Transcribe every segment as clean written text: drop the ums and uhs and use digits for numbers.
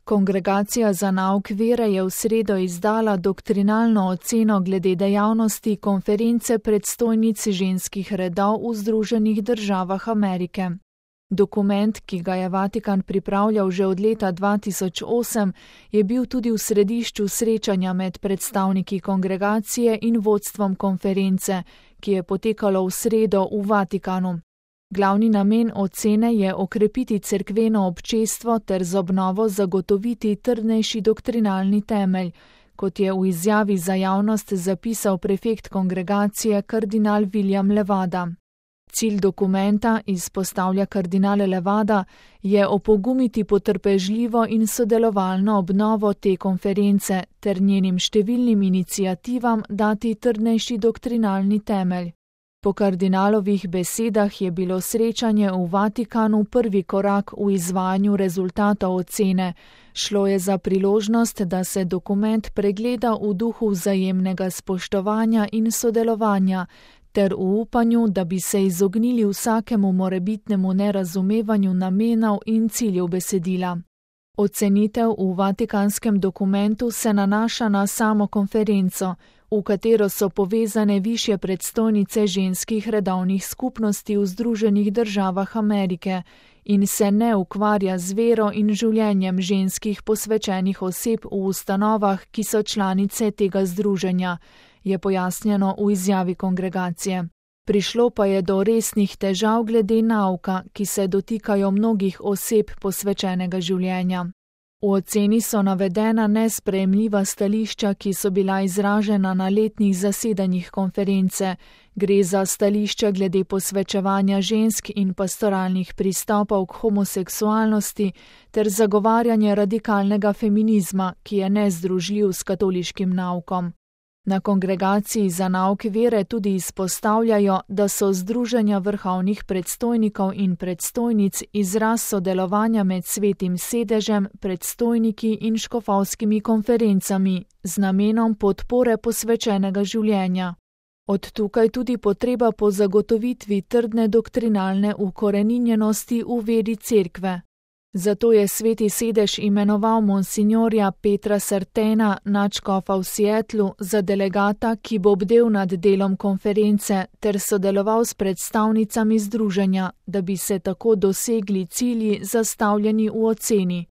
Kongregacija za nauk vere je v sredo izdala doktrinalno oceno glede dejavnosti konference predstojnic ženskih redov v Združenih državah Amerike. Dokument, ki ga je Vatikan pripravljal že od leta 2008, je bil tudi v središču srečanja med predstavniki kongregacije in vodstvom konference, ki je potekalo v sredo v Vatikanu. Glavni namen ocene je okrepiti cerkveno občestvo ter z obnovo zagotoviti trdnejši doktrinalni temelj, kot je v izjavi za javnost zapisal prefekt kongregacije kardinal William Levada. Cilj dokumenta, izpostavlja kardinal Levada, je opogumiti potrpežljivo in sodelovalno obnovo te konference ter njenim številnim iniciativam dati trdnejši doktrinalni temelj. Po kardinalovih besedah je bilo srečanje v Vatikanu prvi korak v izvajanju rezultatov ocene. Šlo je za priložnost, da se dokument pregleda v duhu vzajemnega spoštovanja in sodelovanja, ter v upanju, da bi se izognili vsakemu morebitnemu nerazumevanju namenov in ciljev besedila. Ocenitev v vatikanskem dokumentu se nanaša na samo konferenco, v katero so povezane višje predstojnice ženskih redovnih skupnosti v Združenih državah Amerike in se ne ukvarja z vero in življenjem ženskih posvečenih oseb v ustanovah, ki so članice tega združenja, je pojasnjeno v izjavi kongregacije. Prišlo pa je do resnih težav glede nauka, ki se dotikajo mnogih oseb posvečenega življenja. V oceni so navedena nesprejemljiva stališča, ki so bila izražena na letnih zasedanjih konference. Gre za stališča glede posvečevanja žensk in pastoralnih pristopov k homoseksualnosti ter zagovarjanje radikalnega feminizma, ki je nezdružljiv s katoliškim naukom. Na kongregaciji za nauk vere tudi izpostavljajo, da so združenja vrhovnih predstojnikov in predstojnic izraz sodelovanja med Svetim sedežem, predstojniki in škofovskimi konferencami z namenom podpore posvečenega življenja. Od tukaj tudi potreba po zagotovitvi trdne doktrinalne ukoreninjenosti v veri cerkve. Zato je Sveti sedež imenoval monsinjorja Petra Sartena, nadškofa v Seattlu, za delegata, ki bo bdel nad delom konference ter sodeloval s predstavnicami združenja, da bi se tako dosegli cilji zastavljeni v oceni.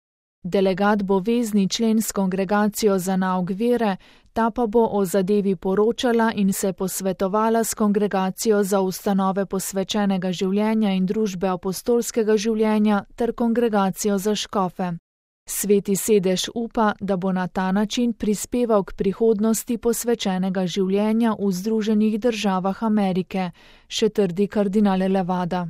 Delegat bo vezni člen s kongregacijo za nauk vere, ta pa bo o zadevi poročala in se posvetovala s kongregacijo za ustanove posvečenega življenja in družbe apostolskega življenja ter kongregacijo za škofe. Sveti sedež upa, da bo na ta način prispeval k prihodnosti posvečenega življenja v Združenih državah Amerike, še trdi kardinal Levada.